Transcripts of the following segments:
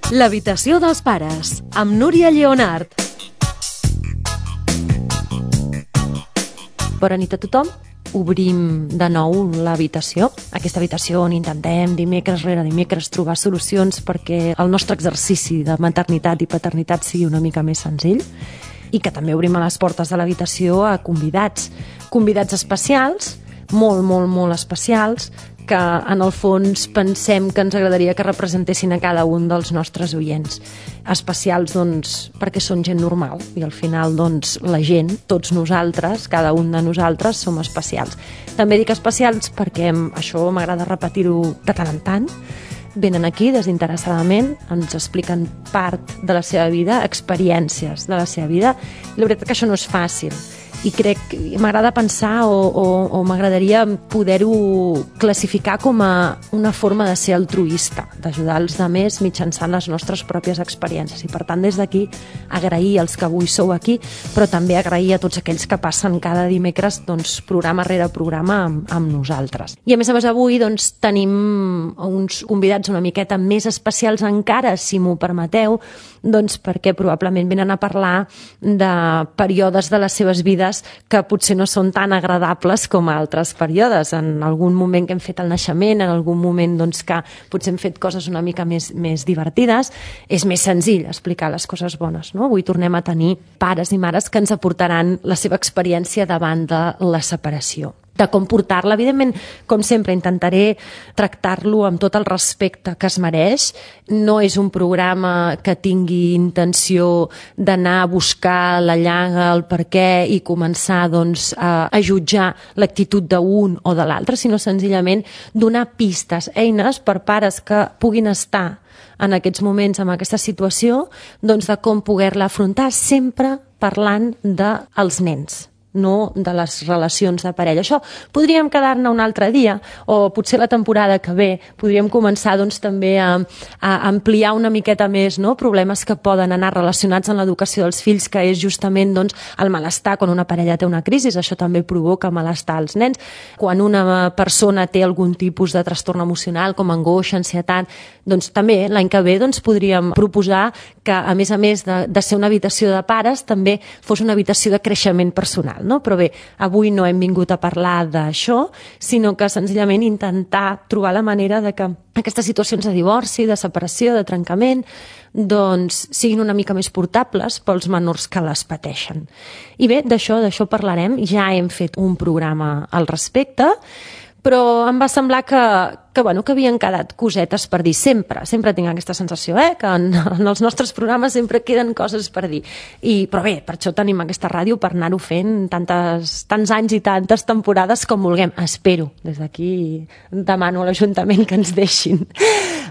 L'habitació dels pares, amb Núria Lleonart. Bona nit a tothom. Obrim de nou l'habitació, aquesta habitació on intentem dimecres rere dimecres trobar solucions perquè el nostre exercici de maternitat i paternitat sigui una mica més senzill, i que també obrim a les portes de l'habitació a convidats especials, molt especials, que en el fons pensem que ens agradaria que representessin a cada un dels nostres oients. Especials, doncs, perquè són gent normal i al final, doncs, la gent, tots nosaltres, cada un de nosaltres, som especials. També dic especials perquè això m'agrada repetir-ho de tant en tant. Venen aquí desinteressadament, ens expliquen part de la seva vida, experiències de la seva vida. La veritat que això no és fàcil. I crec que m'agrada pensar o m'agradaria poder-ho classificar com a una forma de ser altruista, d'ajudar els altres mitjançant les nostres pròpies experiències. I per tant, des d'aquí, agrair als que avui sou aquí, però també agrair a tots aquells que passen cada dimecres, doncs, programa rere programa amb nosaltres. I a més, avui doncs, tenim uns convidats una miqueta més especials encara, si m'ho permeteu, doncs perquè probablement venen a parlar de períodes de les seves vides que potser no són tan agradables com altres períodes. En algun moment que hem fet el naixement, en algun moment doncs, que potser hem fet coses una mica més divertides, és més senzill explicar les coses bones, no? Avui tornem a tenir pares i mares que ens aportaran la seva experiència davant de la separació, de com portar-la. Evidentment, com sempre, intentaré tractar-lo amb tot el respecte que es mereix. No és un programa que tingui intenció d'anar a buscar la llaga, el per què i començar doncs, a jutjar l'actitud d'un o de l'altre, sinó senzillament donar pistes, eines per pares que puguin estar en aquests moments, en aquesta situació, doncs de com poder-la afrontar, sempre parlant dels nens, no de les relacions de parella. Això podríem quedar-ne un altre dia, o potser la temporada que ve podríem començar doncs, també a ampliar una miqueta més, no? Problemes que poden anar relacionats amb l'educació dels fills, que és justament doncs, el malestar quan una parella té una crisi. Això també provoca malestar als nens. Quan una persona té algun tipus de trastorn emocional, com angoixa, ansietat, doncs també l'any que ve doncs, podríem proposar que, a més de ser una habitació de pares, també fos una habitació de creixement personal. No? Però bé, avui no hem vingut a parlar d'això, sinó que senzillament intentar trobar la manera de que aquestes situacions de divorci, de separació, de trencament, doncs siguin una mica més portables pels menors que les pateixen. I bé, d'això parlarem. Ja hem fet un programa al respecte, però em va semblar que havien quedat cosetes per dir. Sempre tinc aquesta sensació, que en els nostres programes sempre queden coses per dir. Però bé, per això tenim aquesta ràdio, per anar-ho fent tants anys i tantes temporades com vulguem. Espero, des d'aquí demano a l'Ajuntament que ens deixin.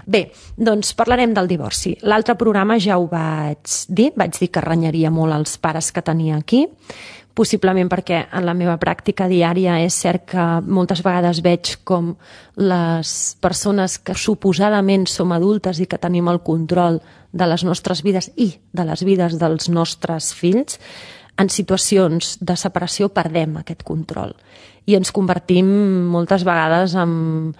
Bé, doncs parlarem del divorci. L'altre programa ja ho vaig dir que renyaria molt els pares que tenia aquí, possiblement perquè en la meva pràctica diària és cert que moltes vegades veig com les persones que suposadament som adultes i que tenim el control de les nostres vides i de les vides dels nostres fills, en situacions de separació perdem aquest control i ens convertim moltes vegades en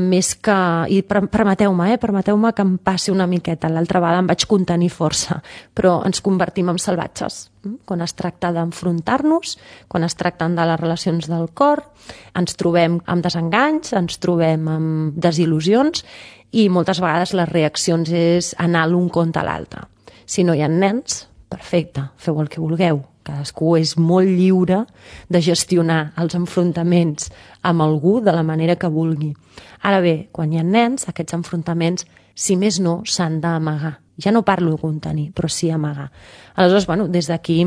més que... I permeteu-me que em passi una miqueta. L'altra vegada em vaig contenir força, però ens convertim en salvatges. Quan es tracta d'enfrontar-nos, quan es tracten de les relacions del cor, ens trobem amb desenganys, ens trobem amb desil·lusions i moltes vegades les reaccions és anar l'un contra l'altre. Si no hi ha nens, perfecte, feu el que vulgueu. Cadascú és molt lliure de gestionar els enfrontaments amb algú de la manera que vulgui. Ara bé, quan hi ha nens, aquests enfrontaments, si més no, s'han d'amagar. Ja no parlo de contenir, però sí amagar. Aleshores, des d'aquí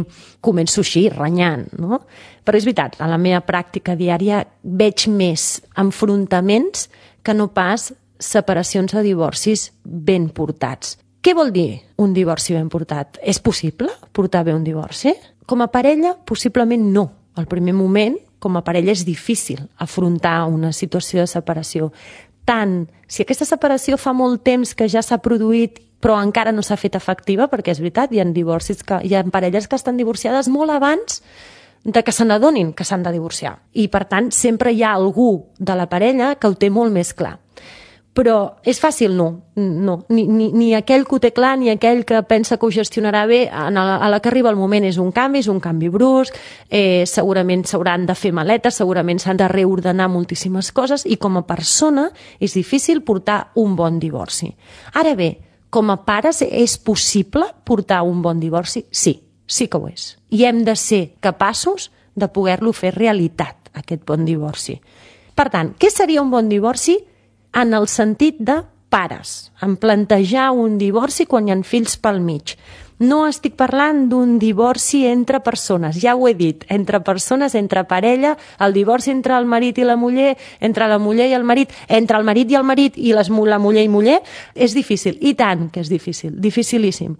començo així, renyant, no? Però és veritat, a la meva pràctica diària veig més enfrontaments que no pas separacions o divorcis ben portats. Què vol dir un divorci ben portat? És possible portar bé un divorci? Com a parella, possiblement no. Al primer moment, com a parella, és difícil afrontar una situació de separació. Tant si aquesta separació fa molt temps que ja s'ha produït però encara no s'ha fet efectiva, perquè és veritat, hi ha parelles que estan divorciades molt abans de que se n'adonin que s'han de divorciar. I, per tant, sempre hi ha algú de la parella que ho té molt més clar. Però és fàcil? No. Ni aquell que ho té clar, ni aquell que pensa que ho gestionarà bé, a la que arriba el moment és un canvi brusc, segurament s'hauran de fer maletes, segurament s'han de reordenar moltíssimes coses, i com a persona és difícil portar un bon divorci. Ara bé, com a pares és possible portar un bon divorci? Sí que ho és. I hem de ser capaços de poder-lo fer realitat, aquest bon divorci. Per tant, què seria un bon divorci? En el sentit de pares, en plantejar un divorci quan hi ha fills pel mig. No estic parlant d'un divorci entre persones, ja ho he dit, entre persones, entre parella, el divorci entre el marit i la muller, entre la muller i el marit, entre el marit i el marit i la muller i muller, és difícil, i tant que és difícil, dificilíssim.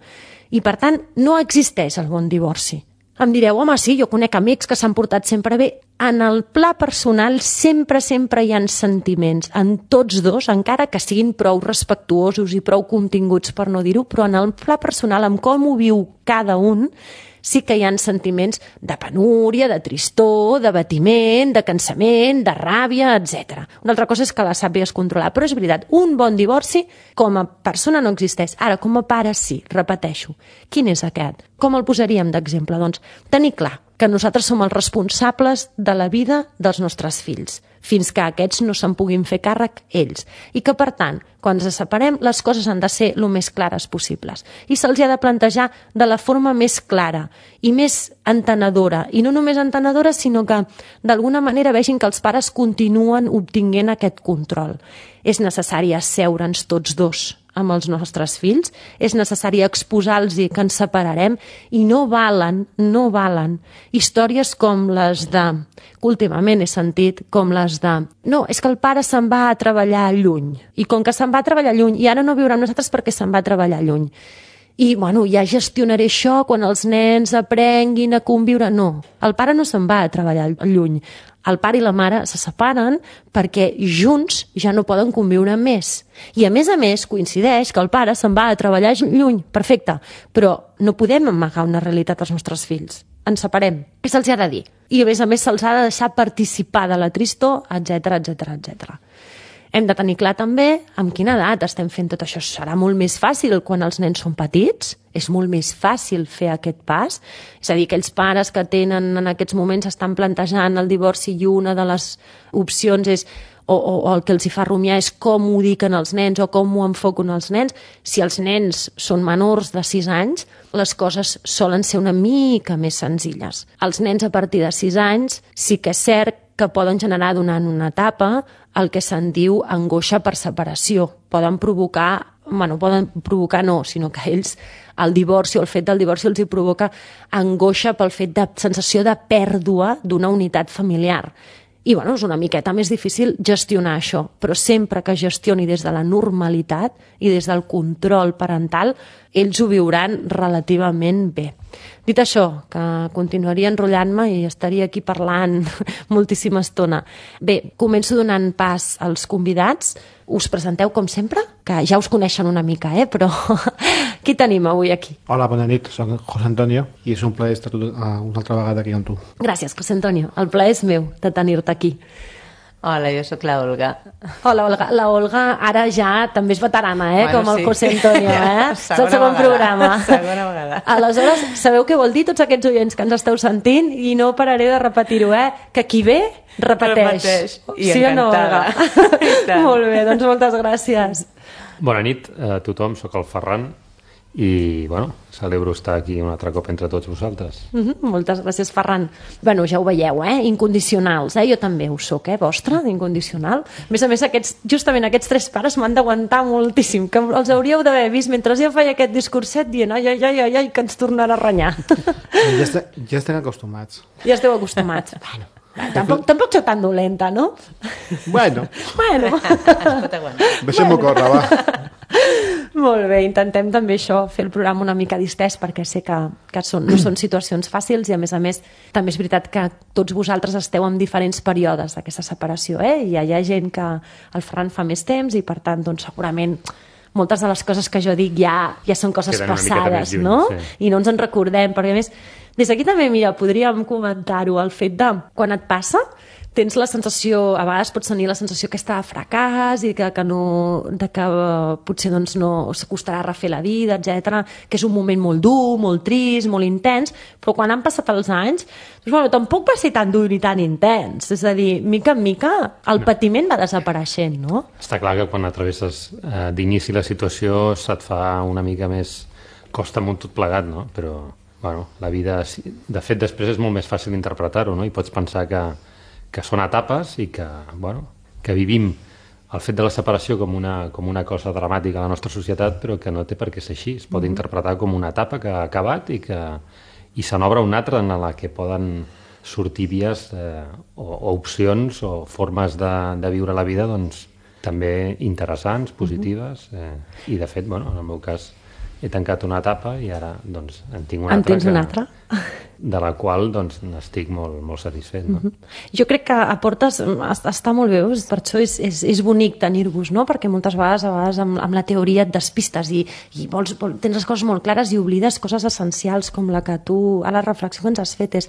I per tant, no existeix el bon divorci. Em direu, home, sí, jo conec amics que s'han portat sempre bé. En el pla personal sempre hi ha sentiments, en tots dos, encara que siguin prou respectuosos i prou continguts per no dir-ho, però en el pla personal, amb com ho viu cada un, sí que hi ha sentiments de penúria, de tristor, d'abatiment, de cansament, de ràbia, etc. Una altra cosa és que la sàpigues controlar, però és veritat, un bon divorci com a persona no existeix. Ara, com a pare sí, repeteixo. Quin és aquest? Com el posaríem d'exemple? Doncs tenir clar que nosaltres som els responsables de la vida dels nostres fills, fins que aquests no se'n puguin fer càrrec ells. I que, per tant, quan ens separem, les coses han de ser el més clares possibles. I se'ls ha de plantejar de la forma més clara i més entenedora. I no només entenedora, sinó que d'alguna manera vegin que els pares continuen obtinguent aquest control. És necessari asseure'ns tots dos amb els nostres fills, és necessari exposar-los que ens separarem, i no valen històries com les de, que últimament he sentit, com les de, no, és que el pare se'n va a treballar lluny, i com que se'n va a treballar lluny, i ara no viurà amb nosaltres perquè se'n va a treballar lluny. I, bueno, ja gestionaré això quan els nens aprenguin a conviure. No, el pare no se'n va a treballar lluny. El pare i la mare se separen perquè junts ja no poden conviure més. I a més coincideix que el pare se'n va a treballar lluny. Perfecte, però no podem amagar una realitat als nostres fills. Ens separem. Què se'ls ha de dir? I a més se'ls ha de deixar participar de la tristor, etc. Hem de tenir clar també amb quina edat estem fent tot això. Serà molt més fàcil quan els nens són petits, és molt més fàcil fer aquest pas. És a dir, aquells pares que tenen en aquests moments estan plantejant el divorci i una de les opcions és o el que els hi fa rumiar és com ho diuen els nens o com ho enfoquen els nens. Si els nens són menors de 6 anys, les coses solen ser una mica més senzilles. Els nens a partir de 6 anys sí que és cert que poden generar durant una etapa el que se'n diu angoixa per separació. Poden provocar no, sinó que ells, el divorci o el fet del divorci els hi provoca angoixa pel fet de sensació de pèrdua d'una unitat familiar. I és una miqueta més difícil gestionar això, però sempre que gestioni des de la normalitat i des del control parental, ells ho viuran relativament bé. Dit això, que continuaria enrotllant-me i estaria aquí parlant moltíssima estona. Bé, començo donant pas als convidats. Us presenteu com sempre, que ja us coneixen una mica, però qui tenim avui aquí? Hola, bona nit, soc José Antonio i és un plaer estar una altra vegada aquí amb tu. Gràcies, José Antonio. El plaer és meu de tenir-te aquí. Hola, jo sóc la Olga. Hola, Olga. La Olga ara ja també és veterana, com el José Antonio, És el segon programa. Segona vegada. Aleshores, sabeu què vol dir tots aquests oients que ens esteu sentint? I no pararé de repetir-ho, Que qui ve, repeteix. I sí encantada. O no, Olga? Molt bé, doncs moltes gràcies. Bona nit a tothom, sóc el Ferran i, celebro estar aquí un altre cop entre tots vosaltres. Moltes gràcies, Ferran. Ja ho veieu, incondicionals, jo també ho soc, vostre, d'incondicional. A més, justament aquests 3 pares m'han d'aguantar moltíssim, que els hauríeu d'haver vist mentre jo feia aquest discurset dient ai, que ens tornarà a renyar. Ja estem acostumats. Ja esteu acostumats. Tampoc sóc tan dolenta, no? Bueno. Es pot aguantar. Deixem-ho córrer, va. Molt bé, intentem també això, fer el programa una mica distès, perquè sé que no són situacions fàcils i a més també és veritat que tots vosaltres esteu en diferents períodes d'aquesta separació, i hi ha gent que el Ferran fa més temps i per tant segurament moltes de les coses que jo dic ja són coses passades, no? Sí. I no ens en recordem, perquè a més des d'aquí també, podríem comentar-ho, el fet de quan et passa tens la sensació, a vegades pots tenir la sensació aquesta de fracàs i que potser doncs, no s'acostarà a refer la vida, etc, que és un moment molt dur, molt trist, molt intens, però quan han passat els anys, doncs, bueno, tampoc va ser tan dur ni tan intens. És a dir, mica en mica, el patiment va desapareixent, no? Està clar que quan atravesses d'inici la situació se't fa una mica més costa amunt tot plegat, no? Però, bueno, la vida, de fet, després és molt més fàcil interpretar-ho, no? I pots pensar que són etapes i que, bueno, que vivim el fet de la separació com una cosa dramàtica a la nostra societat, però que no té per què ser així. Es pot interpretar com una etapa que ha acabat i se n'obre una altra en la que poden sortir vies o opcions o formes de viure la vida doncs, també interessants, positives, i de fet, bueno, en el meu cas he tancat una etapa i ara doncs, en tinc una altra. En tens una altra? De la qual doncs, n'estic molt, molt satisfet. No? Jo crec que aportes, està molt bé, per això és bonic tenir-vos, no? Perquè moltes vegades amb la teoria et despistes i tens les coses molt clares i oblides coses essencials com la que tu, a la reflexió que ens has fet és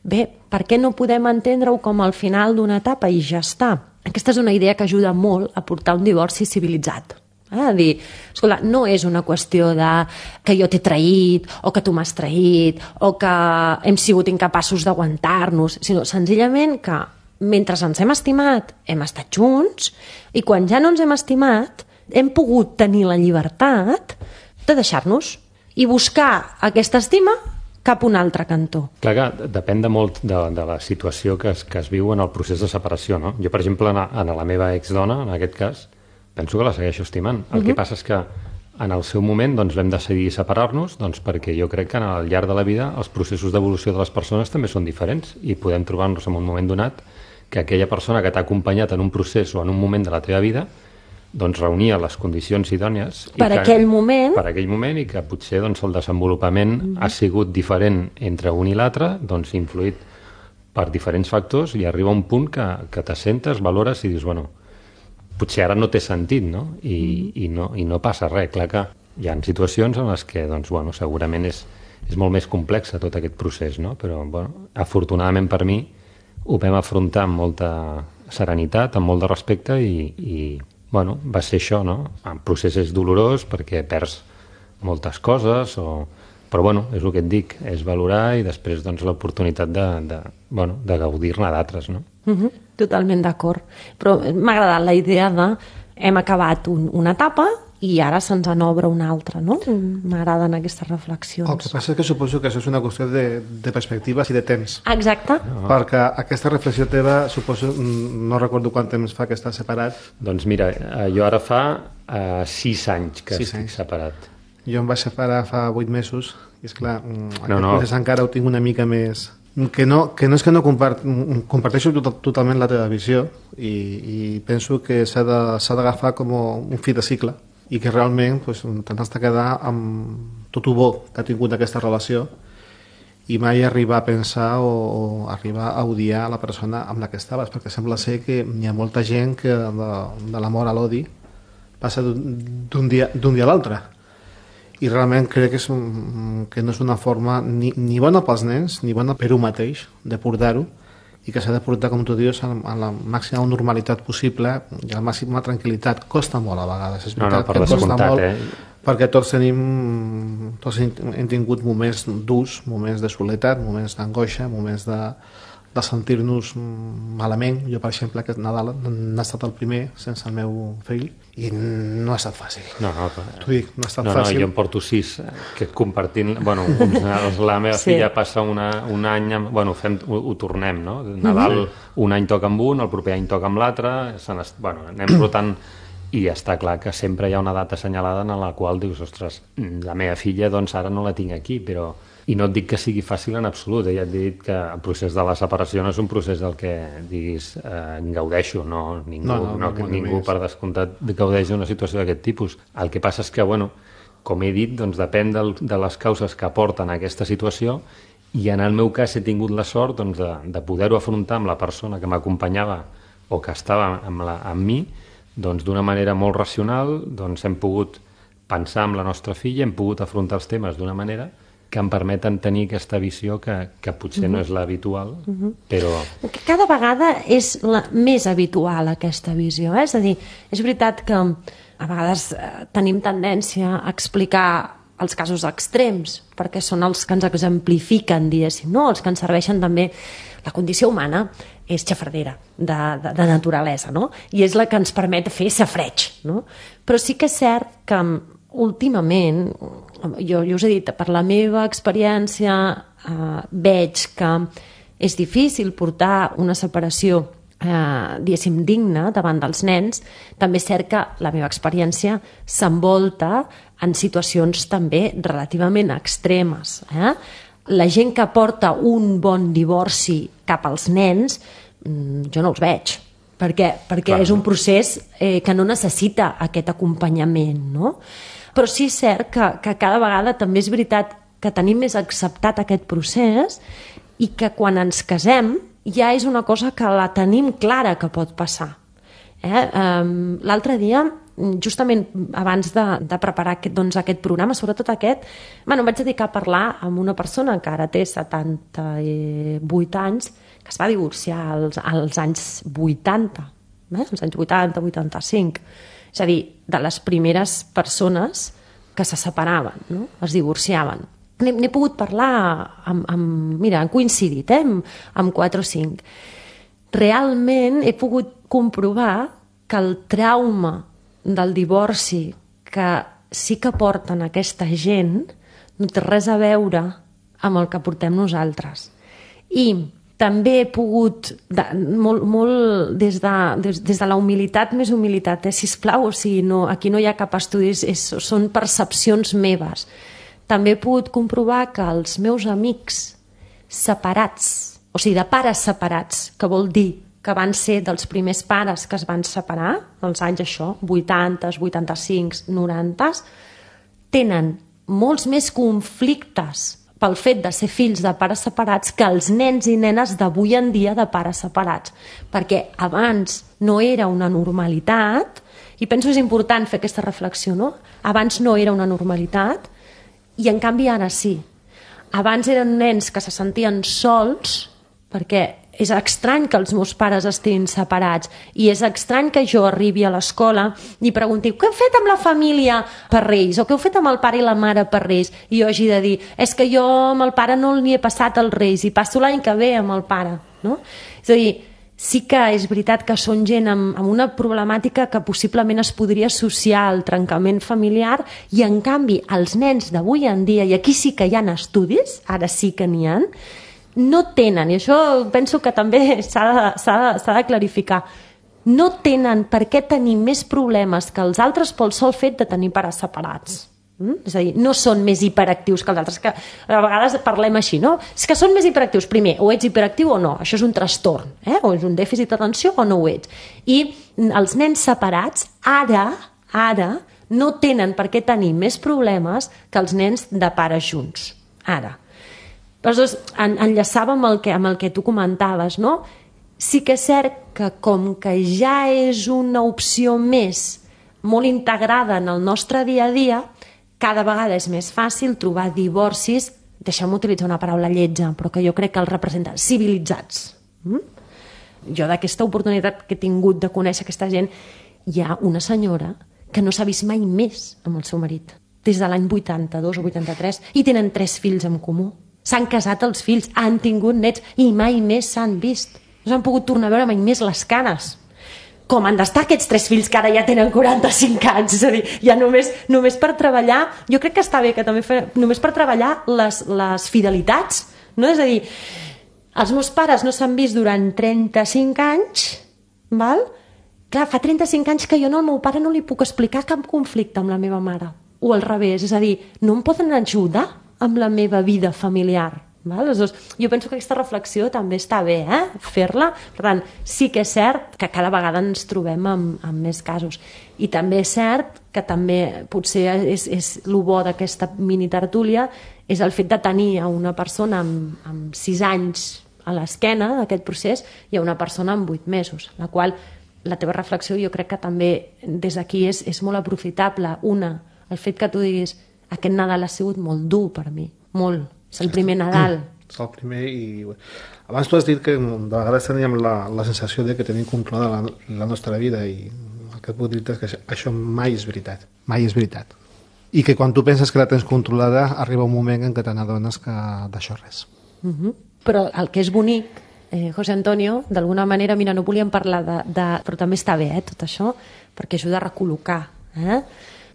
bé, per què no podem entendre-ho com al final d'una etapa i ja està? Aquesta és una idea que ajuda molt a portar un divorci civilitzat. A dir, escolta, no és una qüestió de que jo t'he traït o que tu m'has traït o que hem sigut incapaços d'aguantar-nos, sinó senzillament que mentre ens hem estimat hem estat junts i quan ja no ens hem estimat hem pogut tenir la llibertat de deixar-nos i buscar aquesta estima cap a un altre cantó. Clar que depèn de molt de la situació que es viu en el procés de separació, no? Jo, per exemple, en la meva exdona, en aquest cas, penso que la segueixo estimant. El que passa és que en el seu moment doncs, vam decidir separar-nos doncs, perquè jo crec que al llarg de la vida els processos d'evolució de les persones també són diferents i podem trobar-nos en un moment donat que aquella persona que t'ha acompanyat en un procés o en un moment de la teva vida doncs, reunia les condicions idònies aquell moment. Per aquell moment i que potser doncs, el desenvolupament ha sigut diferent entre un i l'altre, doncs, influït per diferents factors i arriba un punt que t'assentes, valores i dius, bueno, potser ara no té sentit, no? I no passa res. Clar que hi ha situacions en les que doncs, bueno, segurament és molt més complex tot aquest procés, no? Però bueno, afortunadament per mi ho vam afrontar amb molta serenitat, amb molt de respecte i bueno, va ser això, no? El procés és dolorós perquè perds moltes coses, però bueno, és el que et dic, és valorar i després doncs, l'oportunitat de gaudir-ne d'altres, no? Totalment d'acord. Però m'ha agradat la idea de hem acabat una etapa i ara se'ns n'obre una altra, no? M'agraden aquestes reflexions. El que passa és que suposo que això és una qüestió de perspectives i de temps. Exacte. Perquè aquesta reflexió teva, suposo, no recordo quant temps fa que estàs separat. Doncs mira, jo ara fa 6 anys que estic separat. Jo em vaig separar fa 8 mesos i esclar, aquest procés encara ho tinc una mica més... Que no és que no comparteixo totalment la teva visió i penso que s'ha d'agafar com un fi de cicle i que realment t'has de quedar amb tot el bo que ha tingut aquesta relació i mai arribar a pensar o arribar a odiar la persona amb la que estaves, perquè sembla ser que hi ha molta gent que de l'amor a l'odi passa d'un dia a l'altre. I realment crec que no és una forma ni bona pels nens ni bona per un mateix de portar-ho i que s'ha de portar, com tu dius, amb la màxima normalitat possible i la màxima tranquil·litat. Costa molt a vegades, és veritat per descomptat, perquè tots hem tingut moments durs, moments de soledat, moments d'angoixa, moments de sentir-nos malament. Jo, per exemple, aquest Nadal n'ha estat el primer sense el meu fill i no ha estat fàcil. T'ho dic, no ha estat fàcil. Jo en porto 6 que compartint... Bueno, la meva filla passa un any... Bueno, ho tornem, no? Nadal un any toca amb un, el proper any toca amb l'altre, anem rotant i està clar que sempre hi ha una data assenyalada en la qual dius, ostres, la meva filla doncs ara no la tinc aquí, però... I no et dic que sigui fàcil en absolut, ja et dit que el procés de la separació no és un procés del que diguis gaudeixo, no, ningú per descomptat gaudeix d'una situació d'aquest tipus. El que passa és que, bueno, com he dit, doncs depèn de les causes que porten a aquesta situació i en el meu cas he tingut la sort doncs, de poder-ho afrontar amb la persona que m'acompanyava o que estava amb mi doncs, d'una manera molt racional, doncs hem pogut pensar amb la nostra filla, hem pogut afrontar els temes d'una manera que em permeten tenir aquesta visió que potser no és l'habitual, però... Cada vegada és més habitual aquesta visió, És a dir, és veritat que a vegades tenim tendència a explicar els casos extrems, perquè són els que ens exemplifiquen, diguéssim, no? Els que ens serveixen també. La condició humana és xafardera de naturalesa, no? I és la que ens permet fer safareig, no? Però sí que és cert que últimament, jo us he dit, per la meva experiència veig que és difícil portar una separació diguéssim digna davant dels nens. També és cert que la meva experiència s'envolta en situacions també relativament extremes. La gent que porta un bon divorci cap als nens, jo no els veig, perquè és un procés que no necessita aquest acompanyament, no? Però sí és cert que cada vegada també és veritat que tenim més acceptat aquest procés i que quan ens casem ja és una cosa que la tenim clara que pot passar. L'altre dia, justament abans de preparar aquest programa, sobretot aquest, em vaig dedicar a parlar amb una persona que ara té 78 anys, que es va divorciar als anys 80, als anys 80, 85. És a dir, de les primeres persones que se separaven, no? Es divorciaven. N'he pogut parlar mira, han coincidit, amb 4 o 5. Realment he pogut comprovar que el trauma del divorci que sí que porten aquesta gent no té res a veure amb el que portem nosaltres. I també he pogut, molt des de la humilitat, més humilitat, sisplau, o sigui, aquí no hi ha cap estudi, són percepcions meves. També he pogut comprovar que els meus amics separats, o sigui, de pares separats, que vol dir que van ser dels primers pares que es van separar, als anys 80, 85, 90, tenen molts més conflictes pel fet de ser fills de pares separats que els nens i nenes d'avui en dia de pares separats. Perquè abans no era una normalitat, i penso que és important fer aquesta reflexió, no? Abans no era una normalitat, i en canvi ara sí. Abans eren nens que se sentien sols, perquè és estrany que els meus pares estiguin separats i és estrany que jo arribi a l'escola i pregunti què heu fet amb la família per Reis o què heu fet amb el pare i la mare per Reis i jo hagi de dir és que jo amb el pare no n'hi he passat els Reis i passo l'any que ve amb el pare, no? És a dir, sí que és veritat que són gent amb una problemàtica que possiblement es podria associar al trencament familiar i en canvi els nens d'avui en dia, i aquí sí que hi ha estudis, ara sí que n'hi ha, no tenen, i això penso que també s'ha de clarificar, no tenen per què tenir més problemes que els altres pel sol fet de tenir pares separats. És a dir, no són més hiperactius que els altres, que a vegades parlem així, no? És que són més hiperactius. Primer, o ets hiperactiu o no, això és un trastorn, o és un dèficit d'atenció o no ho ets. I els nens separats ara no tenen per què tenir més problemes que els nens de pares junts, ara. Aleshores, enllaçava amb el que tu comentaves, no? Sí que és cert que com que ja és una opció més molt integrada en el nostre dia a dia, cada vegada és més fàcil trobar divorcis, deixeu-me utilitzar una paraula lletja, però que jo crec que els representa, civilitzats. Jo d'aquesta oportunitat que he tingut de conèixer aquesta gent, hi ha una senyora que no s'ha vist mai més amb el seu marit, des de l'any 82 o 83, i tenen 3 fills en comú. S'han casat els fills, han tingut nets i mai més s'han vist. No s'han pogut tornar a veure mai més les cares. Com han d'estar aquests 3 fills que ara ja tenen 45 anys? És a dir, ja només per treballar, jo crec que està bé que també només per treballar les fidelitats, no? És a dir, els meus pares no s'han vist durant 35 anys, val? Clar, fa 35 anys que jo al meu pare no li puc explicar cap conflicte amb la meva mare. O al revés, és a dir, no em poden ajudar amb la meva vida familiar. Aleshores, jo penso que aquesta reflexió també està bé, fer-la. Per tant, sí que és cert que cada vegada ens trobem amb més casos. I també és cert que també potser és el bo d'aquesta mini tertúlia és el fet de tenir a una persona amb 6 anys a l'esquena d'aquest procés i a una persona amb 8 mesos, la qual la teva reflexió jo crec que també des d'aquí és molt aprofitable. Una, el fet que tu diguis aquest Nadal ha sigut molt dur per mi, molt. És el primer Nadal. És el primer i... Abans tu has dit que de vegades teníem la sensació de que tenim controlada la nostra vida i el que et puc dir és que això mai és veritat. Mai és veritat. I que quan tu penses que la tens controlada arriba un moment en què te n'adones que d'això res. Però el que és bonic, José Antonio, d'alguna manera, mira, no volíem parlar però també està bé, tot això, perquè ajuda a recol·locar,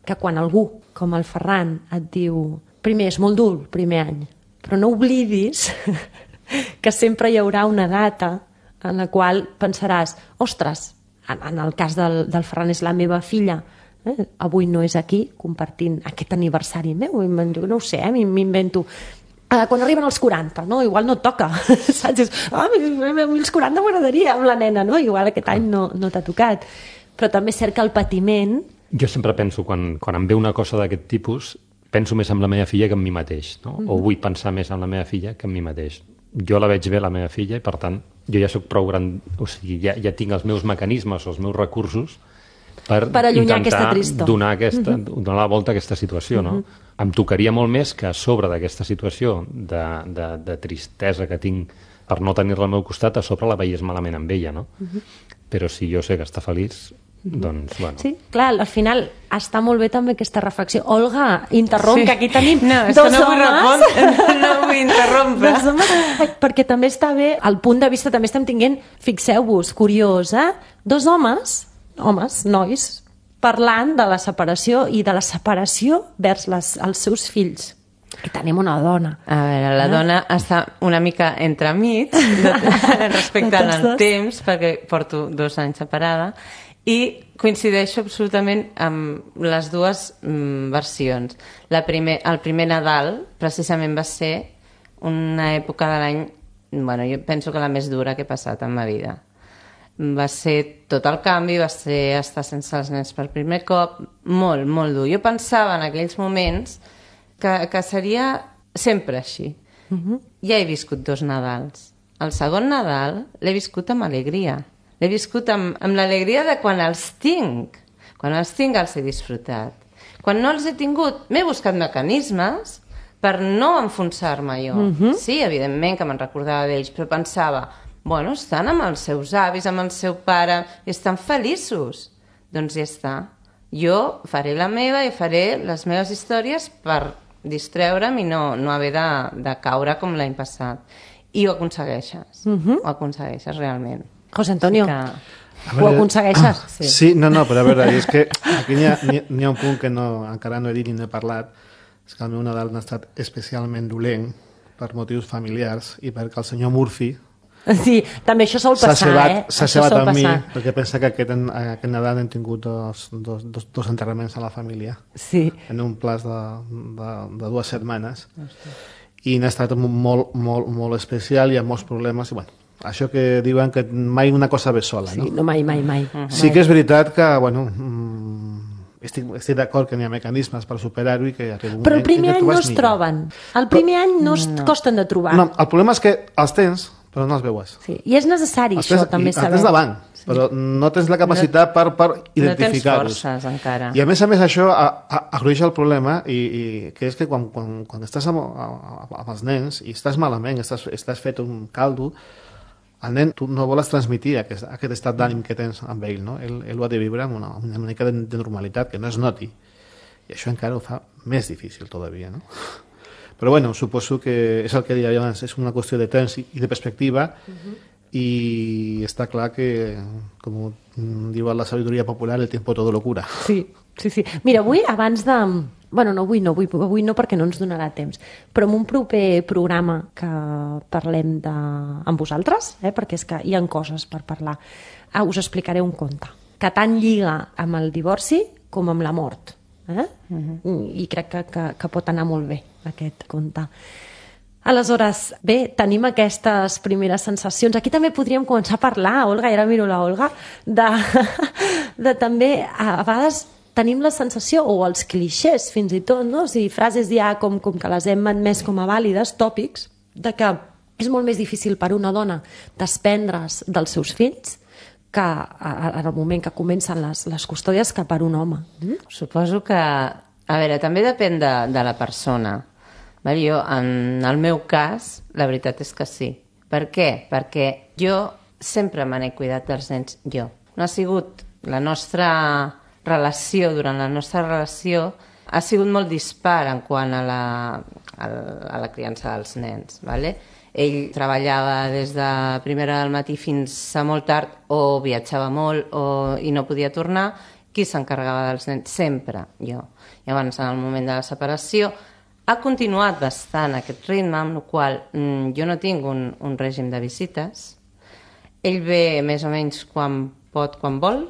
que quan algú, com el Ferran, et diu, primer, és molt dur el primer any, però no oblidis que sempre hi haurà una data en la qual pensaràs, ostres, en el cas del Ferran és la meva filla, avui no és aquí compartint aquest aniversari meu, no ho sé, m'invento. Quan arriben els 40, no? Igual no et toca, saps? Els 40 m'agradaria amb la nena, no? Igual aquest any no t'ha tocat. Però també és cert que el patiment... Jo sempre penso, quan em ve una cosa d'aquest tipus, penso més en la meva filla que en mi mateix, no? O vull pensar més en la meva filla que en mi mateix. Jo la veig bé, la meva filla, i per tant, jo ja soc prou gran, o sigui, ja tinc els meus mecanismes o els meus recursos per intentar donar la volta a aquesta situació, no? Em tocaria molt més que a sobre d'aquesta situació de tristesa que tinc per no tenir-la al meu costat, a sobre la veiés malament amb ella, no? Però si jo sé que està feliç, doncs, bueno... Sí, clar, al final està molt bé també aquesta reflexió. Olga, interromp, que aquí tenim dos homes. No vull interrompre. Perquè també està bé, el punt de vista també estem tinguent, fixeu-vos, curiós, dos homes, nois, parlant de la separació i de la separació vers els seus fills. I tenim una dona. A veure, la dona està una mica entremig respecte al temps, perquè porto 2 anys separada, i coincideixo absolutament amb les dues versions. El primer Nadal precisament va ser una època de l'any, bueno, jo penso que la més dura que he passat en ma vida. Va ser tot el canvi, va ser estar sense els nens per primer cop, molt, molt dur. Jo pensava en aquells moments que seria sempre així. Ja he viscut 2 Nadals. El segon Nadal l'he viscut amb alegria. L'he viscut amb l'alegria de quan els tinc. Quan els tinc els he disfrutat. Quan no els he tingut, m'he buscat mecanismes per no enfonsar-me jo. Sí, evidentment que me'n recordava d'ells, però pensava, bueno, estan amb els seus avis, amb el seu pare, i estan feliços. Doncs ja està. Jo faré la meva i faré les meves històries per distreure'm i no haver de caure com l'any passat. I ho aconsegueixes. Ho aconsegueixes realment. José Antonio, ho aconsegueixes? Sí, no, però a veure, és que aquí n'hi ha un punt que encara no he dit ni no he parlat, és que el meu Nadal ha estat especialment dolent per motius familiars i perquè el senyor Murphy sí, també això sol passar, s'ha cebat amb mi, perquè pensa que aquest Nadal hem tingut dos enterraments a la família, en un plaç de 2 setmanes. I n'ha estat molt, molt, molt especial i amb molts problemes, i bueno, això que diuen que mai una cosa ve sola, no? Sí, no, mai. Sí que és veritat que, bueno, estic d'acord que n'hi ha mecanismes per superar-ho i que arriba un moment... Però el primer any no es troben. El primer any no es costen de trobar. No, el problema és que els tens, però no els veues. Sí, i és necessari això, també saber. Els tens davant, però no tens la capacitat per identificar-los. No tens forces, encara. I a més això agruixa el problema, i que és que quan estàs amb els nens i estàs malament, estàs fet un caldo, el nen, tu no vols transmitir aquest estat d'ànim que tens amb ell, no? Ell ho ha de viure amb una mica de normalitat, que no es noti. I això encara ho fa més difícil, todavía, no? Però bueno, suposo que és el que deia abans, és una qüestió de temps i de perspectiva, i està clar que, com diu la sabidoria popular, el tiempo todo lo cura. Sí. Mira, avui, abans de... Bueno, avui no perquè no ens donarà temps, però en un proper programa que parlem amb vosaltres, perquè és que hi ha coses per parlar, us explicaré un conte que tant lliga amb el divorci com amb la mort. I crec que pot anar molt bé aquest conte. Aleshores, bé, tenim aquestes primeres sensacions. Aquí també podríem començar a parlar, Olga, i ara miro la Olga, de també, a vegades tenim la sensació, o els clixés fins i tot, no? O sigui, frases ja com que les hem admès com a vàlides, tòpics, de que és molt més difícil per una dona desprendre's dels seus fills que en el moment que comencen les custòdies que per un home. Suposo que... A veure, també depèn de la persona. Jo, en el meu cas, la veritat és que sí. Per què? Perquè jo sempre me n'he cuidat dels nens jo. No ha sigut la nostra relació, durant la nostra relació, ha sigut molt dispar en quant a la criança dels nens, ¿vale? Ell treballava des de primera del matí fins a molt tard, o viatjava molt i no podia tornar. Qui s'encarregava dels nens? Sempre jo. Llavors, en el moment de la separació, ha continuat bastant aquest ritme, amb el qual jo no tinc un règim de visites. Ell ve més o menys quan pot, quan vol.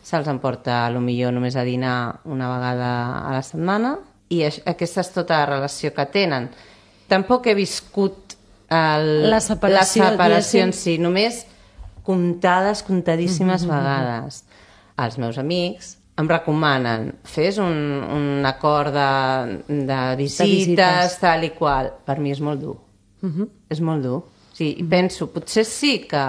Se'ls emporta, potser només a dinar una vegada a la setmana. I aquesta és tota la relació que tenen. Tampoc he viscut la separació en si, només contadíssimes vegades. Els meus amics em recomanen, fes un acord de visites, tal i qual. Per mi és molt dur. És molt dur. Sí, penso, potser sí que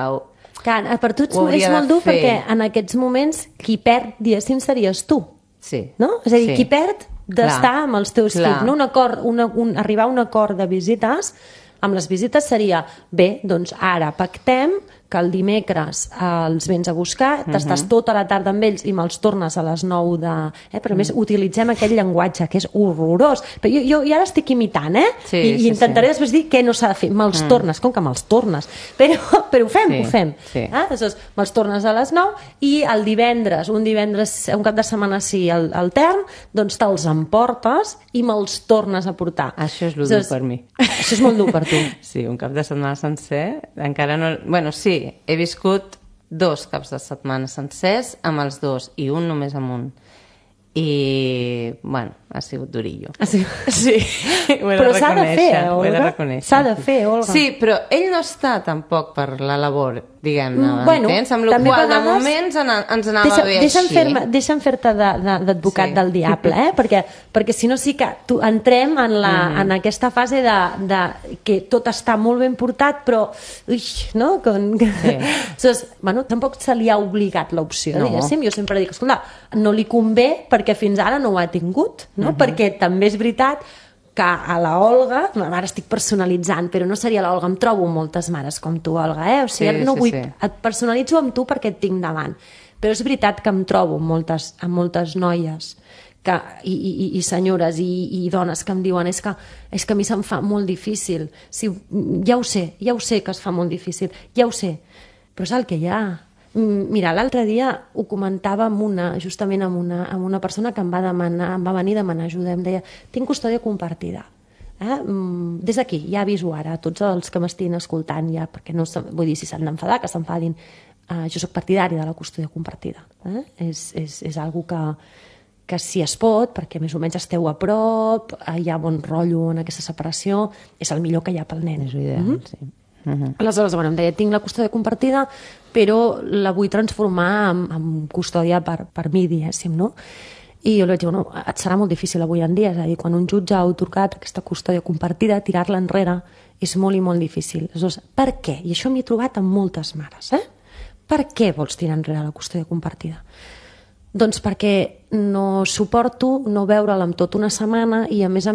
per tu és molt dur perquè en aquests moments qui perd, diguéssim, series tu. Sí. No? És a dir, qui perd d'estar amb els teus fills. No? Arribar a un acord de visites, amb les visites seria, bé, doncs ara pactem que el dimecres els vens a buscar, t'estàs tota la tarda amb ells i me'ls tornes a les 9 de... Però a més utilitzem aquell llenguatge que és horrorós. Però jo ara estic imitant, i intentaré després dir què no s'ha de fer. Me'ls tornes, com que me'ls tornes? Però ho fem. Aleshores, me'ls tornes a les 9 i el divendres, un cap de setmana sí, el term, doncs te'ls emportes i me'ls tornes a portar. Això és dur per mi. Això és molt dur per tu. Sí, un cap de setmana sencer, encara no... Bueno, sí, he viscut 2 caps de setmana sencers amb els 2 i un només amb un. I, bueno, ha sigut durillo. Sí, però s'ha de fer, Olga. S'ha de fer, Olga. Sí, però ell no està tampoc per la labor, diguem-ne, entens? Amb la qual de moment ens anava bé així. Deixa'm fer-te d'advocat del diable, perquè si no sí que entrem en aquesta fase de que tot està molt ben portat, però tampoc se li ha obligat l'opció, diguéssim. Jo sempre dic, escolta, no li convé perquè fins ara no ho ha tingut, perquè també és veritat que a la Olga, ara estic personalitzant, però no seria la Olga, em trobo moltes mares com tu, Olga, o sigui, no vull, et personalitzo amb tu perquè et tinc davant, però és veritat que em trobo amb moltes noies i senyores i dones que em diuen és que a mi se'm fa molt difícil, ja ho sé que es fa molt difícil, ja ho sé, però és el que hi ha. Mira, l'altre dia ho comentava justament amb una persona que em va venir a demanar ajuda. Em deia, tinc custòdia compartida. Des d'aquí, ja aviso ara a tots els que m'estiguin escoltant, perquè no vull dir si s'han d'enfadar, que s'enfadin. Jo soc partidari de la custòdia compartida. És algo que si es pot, perquè més o menys esteu a prop, hi ha bon rotllo en aquesta separació, és el millor que hi ha pel nen. És ideal, sí. Aleshores, em deia, tinc la custòdia compartida, però la vull transformar en custòdia per mi, diguéssim, no? I jo li vaig dir, et serà molt difícil avui en dia, és a dir, quan un jutge ha atorgat aquesta custòdia compartida, tirar-la enrere és molt i molt difícil. Aleshores, per què? I això m'hi he trobat amb moltes mares, Per què vols tirar enrere la custòdia compartida? Doncs perquè no suporto no veure'l amb tot una setmana i, a més,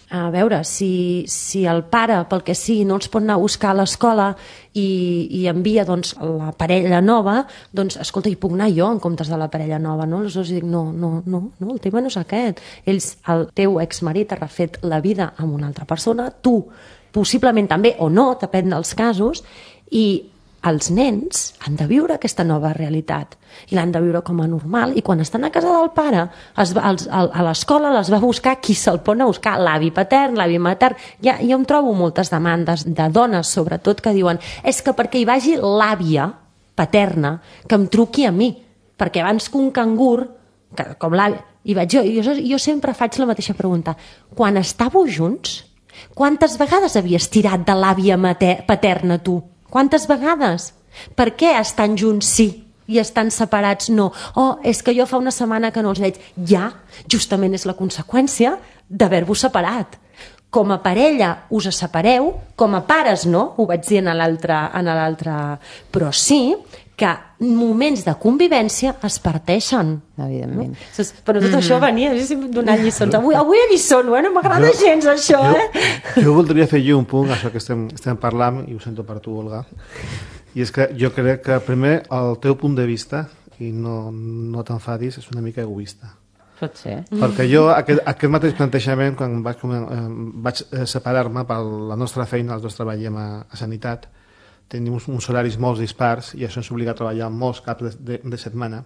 a veure, si el pare, pel que sigui, no els pot anar a buscar a l'escola i envia la parella nova, doncs, escolta, hi puc anar jo en comptes de la parella nova, no? Aleshores dic, no, el tema no és aquest. El teu exmarit ha refet la vida amb una altra persona, tu possiblement també, o no, depèn dels casos, i els nens han de viure aquesta nova realitat i l'han de viure com a normal, i quan estan a casa del pare a l'escola les va buscar qui se'l pot anar a buscar, l'avi patern, l'avi matern. Jo em trobo moltes demandes de dones sobretot que diuen, és que perquè hi vagi l'àvia paterna que em truqui a mi, perquè abans que un cangur com l'àvia, i jo sempre faig la mateixa pregunta, quan estàveu junts quantes vegades havies tirat de l'àvia paterna tu? Quantes vegades? Per què estan junts sí i estan separats no? És que jo fa una setmana que no els veig. Ja, justament és la conseqüència d'haver-vos separat. Com a parella us separeu, com a pares no, ho vaig dir en l'altre, però sí que moments de convivència es parteixen. Evidentment. Però tot això venia donant lliçons. Avui a lliçons, no m'agrada gens això, Jo voldria fer un punt, això que estem parlant, i ho sento per tu, Olga, i és que jo crec que primer el teu punt de vista, i no t'enfadis, és una mica egoista. Pot ser. Perquè jo, aquest mateix plantejament, quan vaig separar-me per la nostra feina, els dos treballem a Sanitat, tenim uns horaris molt dispars i això ens obliga a treballar molts caps de setmana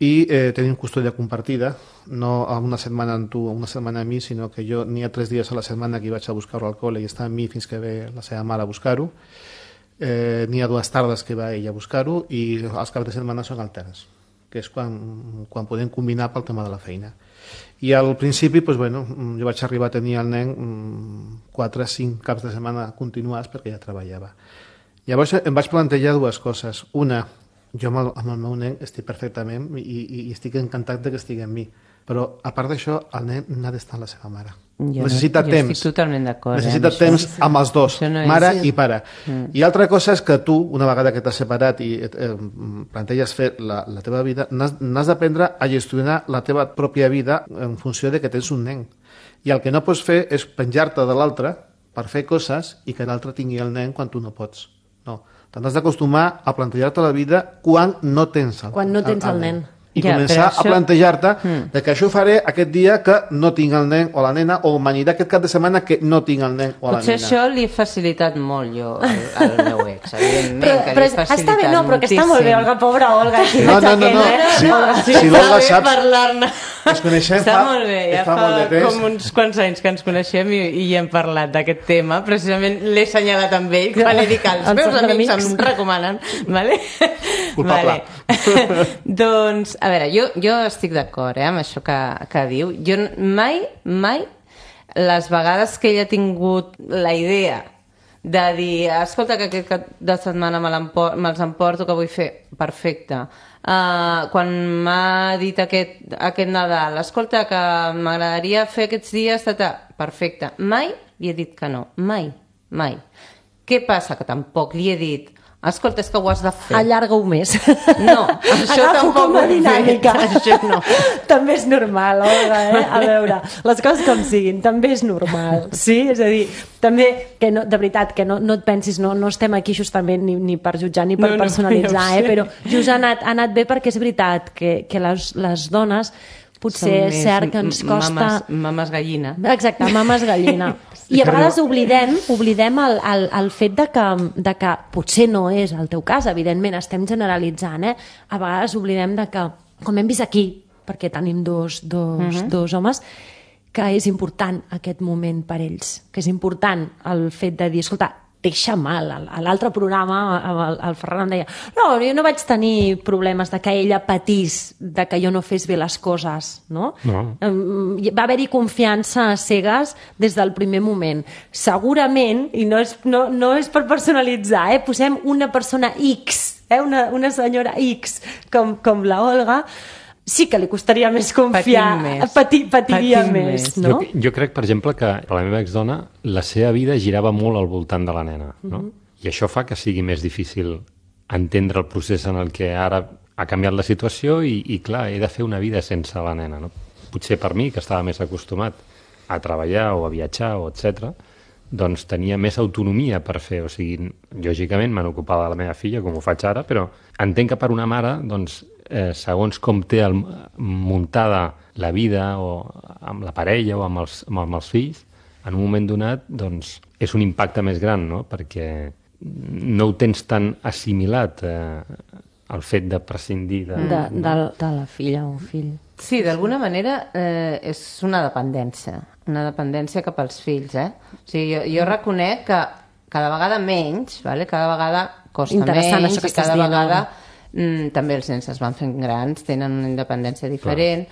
i tenim custòdia compartida, no una setmana amb tu o una setmana amb mi, sinó que jo n'hi ha 3 dies a la setmana que vaig a buscar-ho al col·le i està amb mi fins que ve la seva mare a buscar-ho, n'hi ha 2 tardes que va ella a buscar-ho i els caps de setmana són alterns, que és quan podem combinar pel tema de la feina. I al principi, jo vaig arribar a tenir el nen 4 o 5 caps de setmana continuats perquè ja treballava. Llavors em vaig plantejar 2 coses. Una, jo amb el meu nen estic perfectament i estic encantat que estigui amb mi, però a part d'això el nen n'ha d'estar amb la seva mare. Necessita temps. Jo estic totalment d'acord. Necessita temps amb els dos, mare i pare. I altra cosa és que tu, una vegada que t'has separat i planteges fer la teva vida, n'has d'aprendre a gestionar la teva pròpia vida en funció de que tens un nen. I el que no pots fer és penjar-te de l'altre per fer coses i que l'altre tingui el nen quan tu no pots. No. T'has d'acostumar a plantejar-te la vida quan no tens el nen. I començar a plantejar-te que això ho faré aquest dia que no tinc el nen o la nena, o m'anirà aquest cap de setmana que no tinc el nen o la nena. Potser això li he facilitat molt jo al meu ex, evidentment, que li he facilitat està bé, no, però que està molt bé, Olga, pobra Olga. No. Si l'Olga saps... Ens coneixem està molt bé, ja fa com uns quants anys que ens coneixem i hem parlat d'aquest tema, precisament l'he assenyalat amb ell quan he dit que els meus amics em recomanen, vale? Culpable. Doncs, a veure, jo estic d'acord amb això que diu. Jo mai, les vegades que ell ha tingut la idea de dir, escolta, que aquest cap de setmana me'ls emporto, que vull fer, perfecte. Quan m'ha dit aquest Nadal, escolta, que m'agradaria fer aquests dies, perfecte. Mai li he dit que no, mai. Què passa? Que tampoc li he dit, escolta, és que ho has de fer. Allarga-ho més. No, això tampoc ho he fet. Això no. També és normal, Olga, A veure, les coses com siguin, també és normal. Sí? És a dir, també, que no, de veritat, que no et pensis, no estem aquí justament ni per jutjar ni per personalitzar, però just ha anat bé perquè és veritat que les dones potser és cert que ens costa... Mames gallina. Exacte, mames gallina. I a vegades oblidem el fet de que potser no és el teu cas, evidentment, estem generalitzant, A vegades oblidem de que, com hem vist aquí, perquè tenim dos homes, que és important aquest moment per ells, que és important el fet de dir, escolta, deixa mal. A l'altre programa el Ferran em deia, no, jo no vaig tenir problemes de que ella patís de que jo no fes bé les coses, no? Va haver-hi confiança a cegues des del primer moment. Segurament, i no és per personalitzar, posem una persona X, una senyora X com la Olga, sí que li costaria més confiar, patiria més, no? Jo crec, per exemple, que la meva exdona, la seva vida girava molt al voltant de la nena, no? I això fa que sigui més difícil entendre el procés en el que ara ha canviat la situació i clar, he de fer una vida sense la nena, no? Potser per mi, que estava més acostumat a treballar o a viatjar o etc., doncs tenia més autonomia per fer, o sigui, lògicament me n'ocupava de la meva filla, com ho faig ara, però entenc que per una mare, doncs, segons com té muntada la vida o amb la parella o amb els fills, en un moment donat doncs, és un impacte més gran, no? Perquè no ho tens tan assimilat el fet de prescindir de la filla o fill. Sí, d'alguna manera és una dependència cap als fills. O sigui, jo reconec que cada vegada menys, cada vegada costa menys i cada vegada també els nens es van fent grans, tenen una independència diferent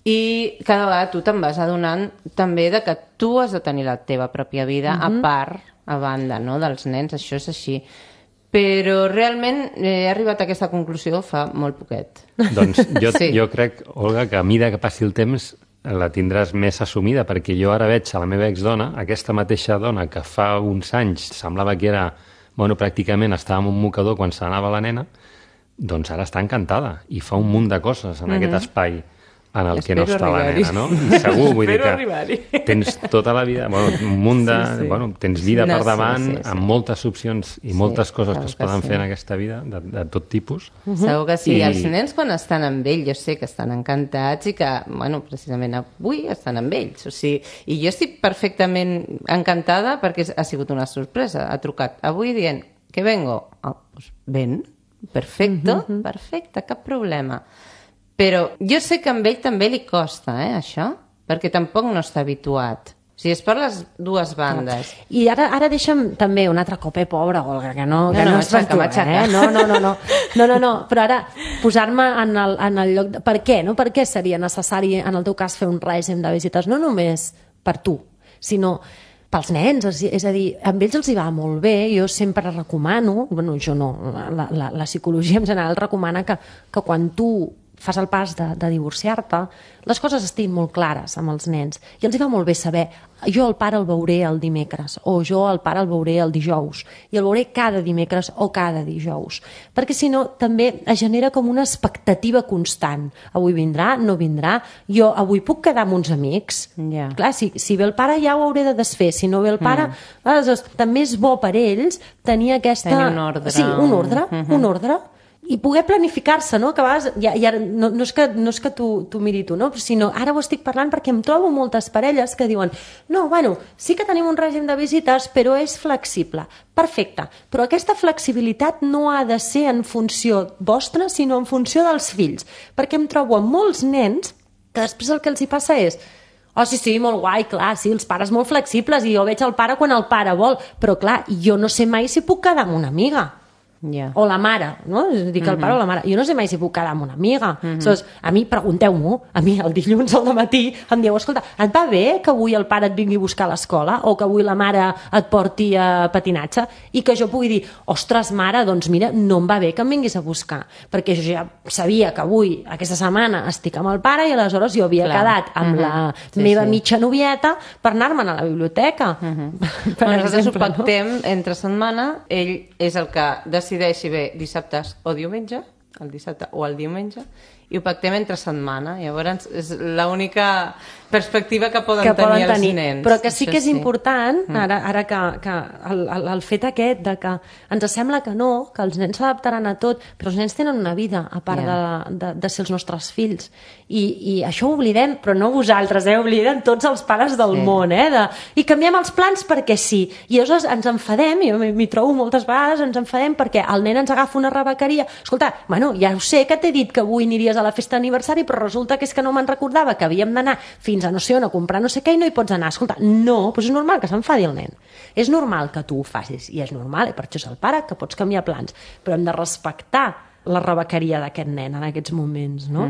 i cada vegada tu te'n vas adonant també de que tu has de tenir la teva pròpia vida a part, a banda, no, dels nens, això és així. Però realment he arribat a aquesta conclusió fa molt poquet. Doncs jo crec, Olga, que a mesura que passi el temps la tindràs més assumida, perquè jo ara veig a la meva exdona, aquesta mateixa dona que fa uns anys semblava que era, pràcticament estava en un mocador quan se n'anava la nena, doncs ara està encantada i fa un munt de coses en aquest espai en el que no està la nena, no? I segur, vull dir que tens tota la vida, un munt de... tens vida per davant, amb moltes opcions i moltes coses que es poden fer en aquesta vida, de tot tipus. Segur que sí. Els nens, quan estan amb ell, jo sé que estan encantats i que, precisament avui estan amb ells. O sigui, i jo estic perfectament encantada perquè ha sigut una sorpresa. Ha trucat avui dient que vengo. Doncs ven, perfecte, cap problema. Però jo sé que amb ell també li costa, això, perquè tampoc no està habituat. O sigui, és per les dues bandes. I ara deixa'm també un altre cop, pobra Olga, que no és per tu, No, però ara posar-me en el lloc... Per què, no? Per què seria necessari, en el teu cas, fer un règim de visites? No només per tu, sinó pels nens, és a dir, amb ells els hi va molt bé, jo sempre recomano, jo no, la psicologia en general recomana que quan tu fas el pas de divorciar-te, les coses estiguin molt clares amb els nens. I els hi va molt bé saber, jo el pare el veuré el dimecres, o jo el pare el veuré el dijous, i el veuré cada dimecres o cada dijous. Perquè si no, també es genera com una expectativa constant. Avui vindrà, no vindrà, jo avui puc quedar amb uns amics. Clar, si ve el pare ja ho hauré de desfer, si no ve el pare... Aleshores, també és bo per ells tenir aquesta... Tenir un ordre. Sí, un ordre. I poder planificar-se, no? Que a vegades, no és que tu miri tu, no? Sinó ara ho estic parlant perquè em trobo moltes parelles que diuen sí que tenim un règim de visites, però és flexible. Perfecte, però aquesta flexibilitat no ha de ser en funció vostra, sinó en funció dels fills. Perquè em trobo amb molts nens que després el que els hi passa és sí, molt guai, clar, sí, els pares molt flexibles i jo veig el pare quan el pare vol, però clar, jo no sé mai si puc quedar amb una amiga. O la mare, no? Dic el pare o la mare. Jo no sé mai si puc quedar amb una amiga. A mi, pregunteu-m'ho, a mi el dilluns al matí em dieu, escolta, et va bé que avui el pare et vingui a buscar a l'escola o que avui la mare et porti a patinatge? I que jo pugui dir, ostres, mare, doncs mira, no em va bé que em vinguis a buscar, perquè jo ja sabia que avui, aquesta setmana, estic amb el pare i aleshores jo havia quedat amb la meva mitja novieta per anar-me'n a la biblioteca. Nosaltres ho pactem entre setmana, ell és el que decideix si ve dissabtes o diumenge, el dissabte o el diumenge, i ho pactem entre setmana. Llavors és l'única perspectiva que poden tenir els nens. Però que sí que és important, ara que el fet aquest de que ens sembla que no, que els nens s'adaptaran a tot, però els nens tenen una vida a part de ser els nostres fills. I això ho oblidem, però no vosaltres, obliden tots els pares del món, i canviem els plans perquè sí. I llavors ens enfadem, jo m'hi trobo moltes vegades, ens enfadem perquè el nen ens agafa una rebequeria. Escolta, ja ho sé que t'he dit que avui aniries a la festa d'aniversari, però resulta que és que no me'n recordava que havíem d'anar fins a no sé on a comprar no sé què i no hi pots anar. Escolta, no, doncs és normal que s'enfadi el nen. És normal que tu ho facis i és normal, i per això és el pare, que pots canviar plans, però hem de respectar la rebequeria d'aquest nen en aquests moments, no?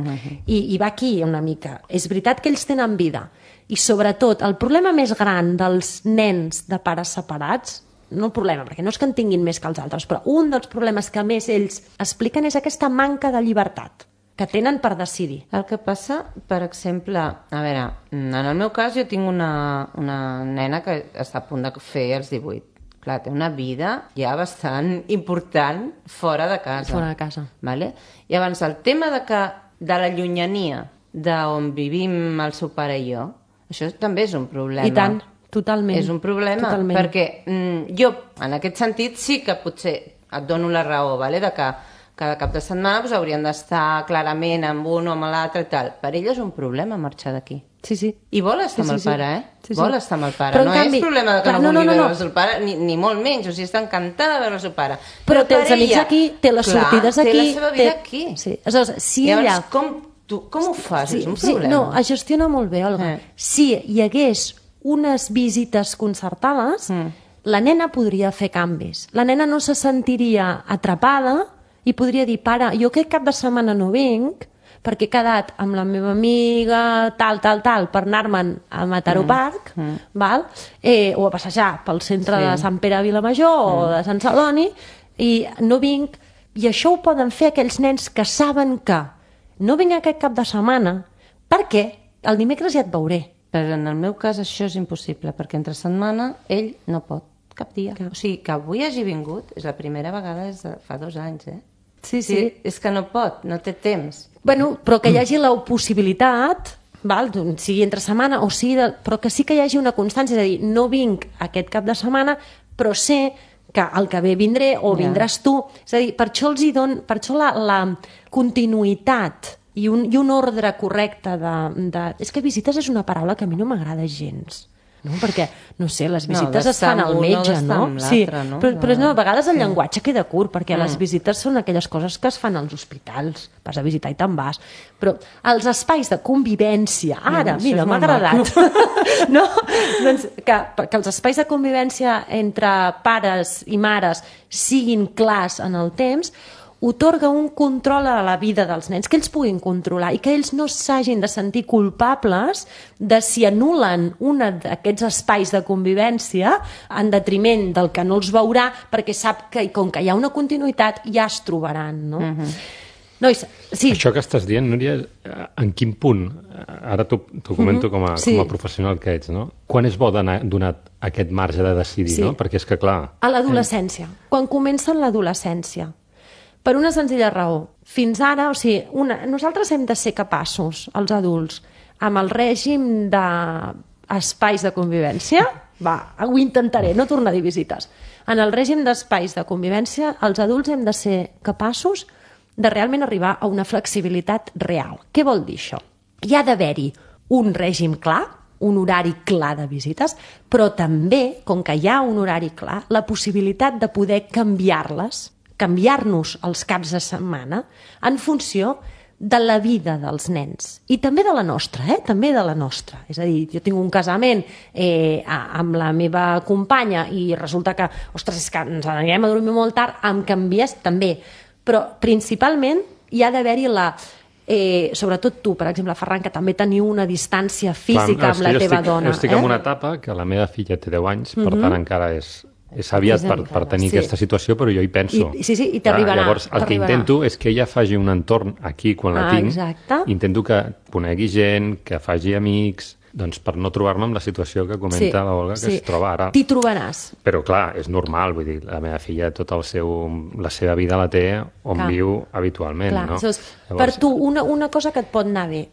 I va aquí una mica. És veritat que ells tenen vida i sobretot el problema més gran dels nens de pares separats, no el problema, perquè no és que en tinguin més que els altres, però un dels problemes que més ells expliquen és aquesta manca de llibertat que tenen per decidir. El que passa, per exemple, a veure, en el meu cas jo tinc una nena que està a punt de fer els 18. Clar, té una vida ja bastant important fora de casa. Fora de casa. Vale? I abans el tema de la llunyania d'on vivim el seu pare i jo, això també és un problema. I tant, totalment. És un problema, perquè jo, en aquest sentit, sí que potser et dono la raó, vale? De que cada cap de setmana haurien d'estar clarament amb un o amb l'altre i tal. Per ell és un problema marxar d'aquí. Sí, sí. I vol estar amb el pare, Vol estar amb el pare. Però, no és problema que no vulgui veure el seu pare, ni molt menys. O sigui, està encantada de veure el seu pare. Però té els amics aquí, té les sortides aquí. Té la seva vida aquí. Sí. Aleshores, si ella... Com ho fas? És un problema. No, es gestiona molt bé, Olga. Si hi hagués unes visites concertades, la nena podria fer canvis. La nena no se sentiria atrapada i podria dir, pare, jo aquest cap de setmana no vinc perquè he quedat amb la meva amiga tal, per anar-me'n a Mataró Park, val? O a passejar pel centre de Sant Pere a Vilamajor o de Sant Celoni, i no vinc. I això ho poden fer aquells nens que saben que no vinc aquest cap de setmana perquè el dimecres ja et veuré. Però en el meu cas això és impossible, perquè entre setmana ell no pot cap dia. O sigui, que avui hagi vingut és la primera vegada des de fa 2 anys, Sí. És que no pot, no té temps. Bueno, però que hi hagi la possibilitat, sigui entre setmana o sigui... Però que sí que hi hagi una constància, és a dir, no vinc aquest cap de setmana, però sé que el que ve vindré o vindràs tu. És a dir, per això la continuïtat i un ordre correcte És que visites és una paraula que a mi no m'agrada gens. No? Perquè, no sé, les visites es fan al metge, no? Sí, però a vegades el llenguatge queda curt, perquè les visites són aquelles coses que es fan als hospitals, vas a visitar i te'n vas, però els espais de convivència, mira, m'ha agradat, no? Doncs que els espais de convivència entre pares i mares siguin clars en el temps, otorga un control a la vida dels nens, que ells puguin controlar i que ells no s'hagin de sentir culpables de si anulen un d'aquests espais de convivència en detriment del que no els veurà, perquè sap que com que hi ha una continuïtat ja es trobaran, no? Nois, sí. Això que estàs dient, Núria, en quin punt, ara t'ho comento com a professional que ets, no? Quan és bo donar aquest marge de decidir, no? Perquè és que, clar... A l'adolescència, quan comença l'adolescència. Per una senzilla raó. Fins ara, nosaltres hem de ser capaços, els adults, amb el règim d'espais de convivència, ho intentaré, no tornar a dir visites. En el règim d'espais de convivència, els adults hem de ser capaços de realment arribar a una flexibilitat real. Què vol dir això? Hi ha d'haver-hi un règim clar, un horari clar de visites, però també, com que hi ha un horari clar, la possibilitat de poder canviar-nos els caps de setmana en funció de la vida dels nens. I també de la nostra, també de la nostra. És a dir, jo tinc un casament amb la meva companya i resulta que, ostres, és que ens anirem a dormir molt tard, em canvies també. Però principalment hi ha d'haver-hi sobretot tu, per exemple, Ferran, que també teniu una distància física amb la teva dona. Jo estic en una etapa que la meva filla té 10 anys, per tant encara és aviat per tenir aquesta situació, però jo hi penso. Sí, i t'arribarà. Llavors, el que intento és que ella faci un entorn aquí, quan la tinc. Exacte. Intento que conegui gent, que faci amics, doncs per no trobar-me amb la situació que comenta l'Olga, que es troba ara. T'hi trobaràs. Però, clar, és normal, vull dir, la meva filla, tota la seva vida la té on viu habitualment, no? Llavors, per tu, una cosa que et pot anar bé,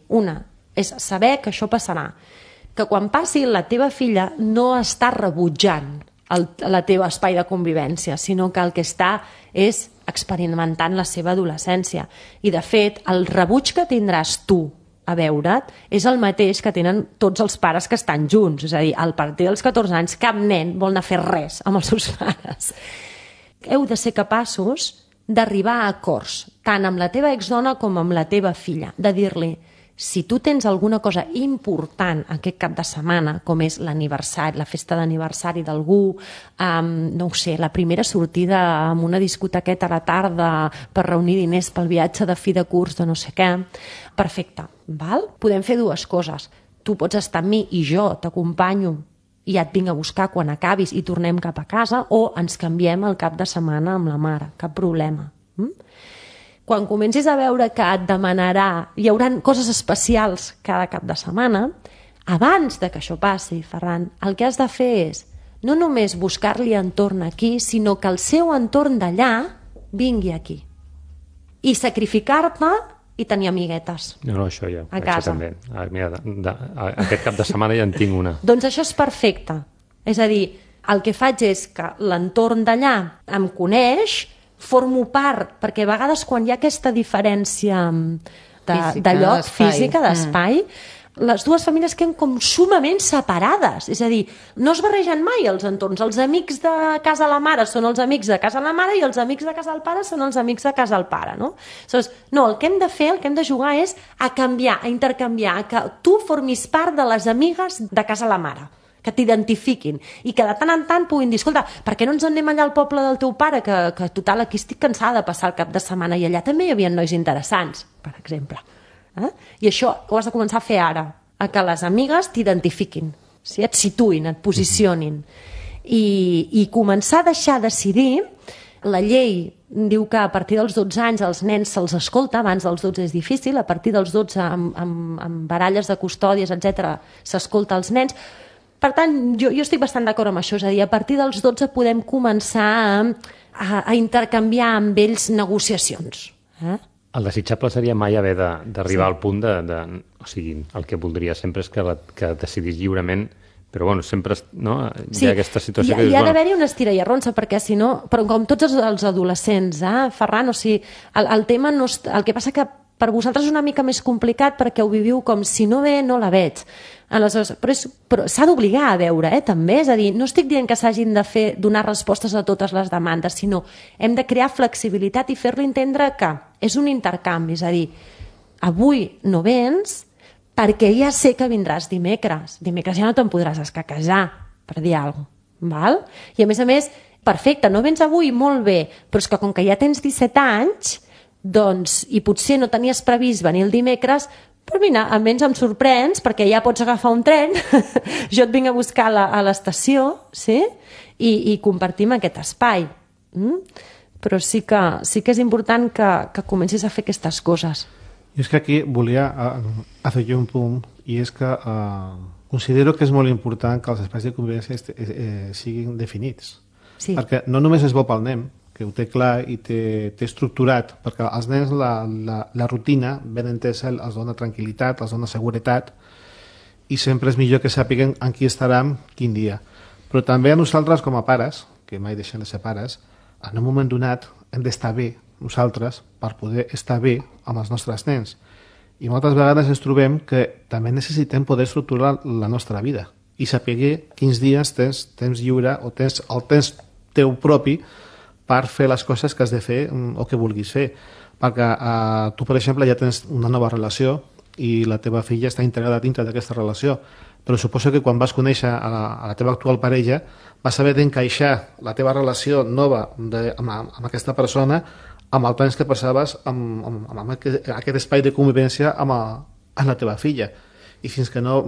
és saber que això passarà, que quan passi la teva filla no està rebutjant la teva espai de convivència, sinó que el que està és experimentant la seva adolescència. I, de fet, el rebuig que tindràs tu a veure't és el mateix que tenen tots els pares que estan junts. És a dir, al partir dels 14 anys cap nen vol anar a fer res amb els seus pares. Heu de ser capaços d'arribar a acords, tant amb la teva exdona com amb la teva filla, de dir-li: si tu tens alguna cosa important aquest cap de setmana, com és l'aniversari, la festa d'aniversari d'algú, no ho sé, la primera sortida amb una discotequeta a la tarda per reunir diners pel viatge de fi de curs de no sé què, perfecte, val? Podem fer dues coses. Tu pots estar amb mi i jo t'acompanyo i ja et vinc a buscar quan acabis i tornem cap a casa, o ens canviem el cap de setmana amb la mare, cap problema. Quan comencis a veure que et demanarà, hi haurà coses especials cada cap de setmana, abans de que això passi, Ferran, el que has de fer és no només buscar-li entorn aquí, sinó que el seu entorn d'allà vingui aquí. I sacrificar-te i tenir amiguetes. No, això ja. A casa. També. Mira, aquest cap de setmana ja en tinc una. Doncs això és perfecte. És a dir, el que faig és que l'entorn d'allà em coneix, formo part, perquè a vegades quan hi ha aquesta diferència de lloc, física, d'espai, les dues famílies queden com sumament separades. És a dir, no es barregen mai els entorns. Els amics de casa de la mare són els amics de casa de la mare i els amics de casa del pare són els amics de casa del pare, no? Aleshores, no, el que hem de fer, el que hem de jugar és a canviar, a intercanviar, a que tu formis part de les amigues de casa de la mare, que t'identifiquin i que de tant en tant puguin dir: escolta, per què no ens en anem allà al poble del teu pare, que total, aquí estic cansada de passar el cap de setmana, i allà també hi havia nois interessants, per exemple. I això ho has de començar a fer ara, a que les amigues t'identifiquin, et situïn, et posicionin, i començar a deixar decidir. La llei diu que a partir dels 12 anys els nens se'ls escolta, abans dels 12 és difícil, a partir dels 12 amb baralles de custòdies, etc., s'escolta els nens. Per tant, jo estic bastant d'acord amb això, és a dir, a partir dels 12 podem començar a intercanviar amb ells negociacions. El desitjable seria mai haver d'arribar al punt o sigui, el que voldria sempre és que decidís lliurement, però bueno, sempre hi ha aquesta situació que dius... Hi ha d'haver-hi una estira i arronsa, perquè si no, però com tots els adolescents, Ferran, o sigui, el tema no... El que passa que per vosaltres és una mica més complicat perquè ho viviu com si no ve, no la veig. Aleshores, però s'ha d'obligar a veure, també. És a dir, no estic dient que s'hagin de donar respostes a totes les demandes, sinó hem de crear flexibilitat i fer-li entendre que és un intercanvi. És a dir, avui no vens perquè ja sé que vindràs dimecres. Dimecres ja no te'n podràs escaquejar, per dir alguna cosa. Val? I a més, perfecte, no vens avui, molt bé, però és que com que ja tens 17 anys, doncs, i potser no tenies previst venir el dimecres, però mira, almenys em sorprens perquè ja pots agafar un tren, jo et vinc a buscar a l'estació, sí? I compartim aquest espai. Però sí que és important que comencis a fer aquestes coses. Jo és que aquí volia afegir un punt, i és que considero que és molt important que els espais de convivència siguin definits. Sí. Perquè no només és bo pel nen, que ho té clar i té estructurat, perquè als nens la rutina ben entesa els dona tranquil·litat, els dona seguretat, i sempre és millor que sàpiguen en qui estaran quin dia. Però també a nosaltres com a pares, que mai deixem de ser pares, en un moment donat hem d'estar bé nosaltres per poder estar bé amb els nostres nens. I moltes vegades ens trobem que també necessitem poder estructurar la nostra vida i saber quins dies tens temps lliure o tens el temps teu propi per fer les coses que has de fer o que vulguis fer. Perquè tu, per exemple, ja tens una nova relació i la teva filla està integrada dintre d'aquesta relació, però suposo que quan vas conèixer a la teva actual parella vas haver d'encaixar la teva relació nova amb aquesta persona amb el temps que passaves amb aquest espai de convivència amb la teva filla. I fins que no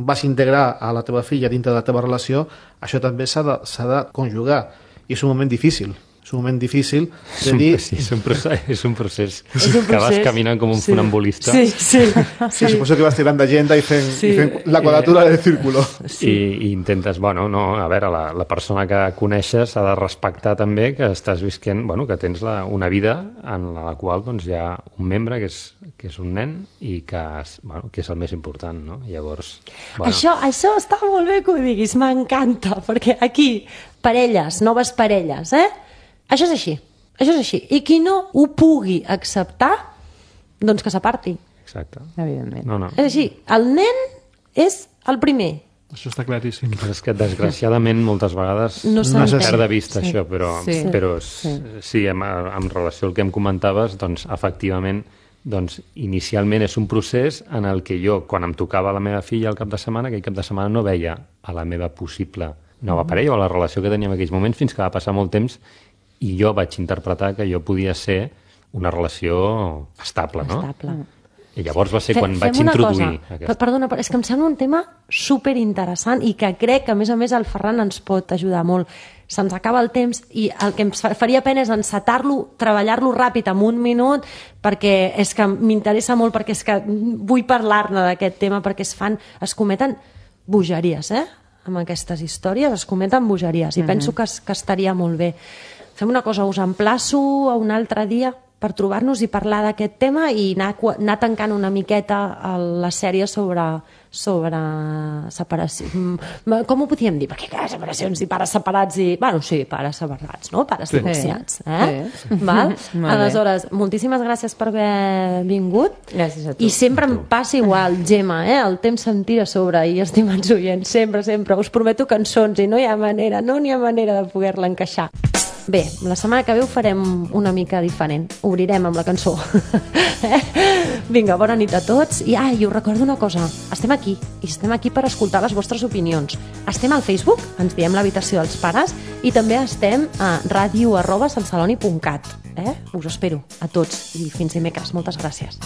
vas integrar a la teva filla dintre de la teva relació, això també s'ha de conjugar. I és un moment difícil. És un moment difícil de dir... Sí, és un procés que vas caminant com un funambulista. Sí. Suposo que vas tirant d'agenda i fent la quadratura del círculo. I intentes, a veure, la persona que coneixes ha de respectar també que estàs visquent, que tens una vida en la qual hi ha un membre que és un nen i que és el més important, no? Llavors... Això està molt bé que ho diguis, m'encanta, perquè aquí, parelles, noves parelles, Això és així. I qui no ho pugui acceptar, doncs que s'aparti. Exacte. Evidentment. No. És així, el nen és el primer. Això està claríssim. És que, desgraciadament, moltes vegades no es perd de vista això, però sí, en relació al que em comentaves, doncs, efectivament, inicialment és un procés en el que jo, quan em tocava la meva filla al cap de setmana, aquell cap de setmana no veia a la meva possible nova parella o la relació que tenia en aquells moments, fins que va passar molt temps i jo vaig interpretar que jo podia ser una relació estable, no? Estable. I llavors va ser quan vaig introduir aquesta. Perdona, però és que em sembla un tema superinteressant i que crec que, a més, el Ferran ens pot ajudar molt. Se'ns acaba el temps i el que em faria pena és encetar-lo, treballar-lo ràpid en un minut, perquè és que m'interessa molt, perquè és que vull parlar-ne d'aquest tema, perquè es cometen bogeries, amb aquestes històries, es cometen bogeries, i penso que estaria molt bé. Fem una cosa, us emplaço a un altre dia per trobar-nos i parlar d'aquest tema i anar tancant una miqueta la sèrie sobre separació. Com ho podíem dir? Perquè clar, separacions i pares separats i... sí, pares separats, no? Pares divorciats. Val? Aleshores, moltíssimes gràcies per haver vingut. Gràcies a tu. I sempre em passa igual, Gemma, el temps se'm tira a sobre i estimats oients, sempre. Us prometo cançons i no hi ha manera de poder-la encaixar. Bé, la setmana que ve ho farem una mica diferent. Obrirem amb la cançó. Vinga, bona nit a tots. I us recordo una cosa. Estem aquí per escoltar les vostres opinions. Estem al Facebook, ens diem l'habitació dels pares, i també estem a radio@santceloni.cat. Us espero a tots i fins dimecres. Moltes gràcies.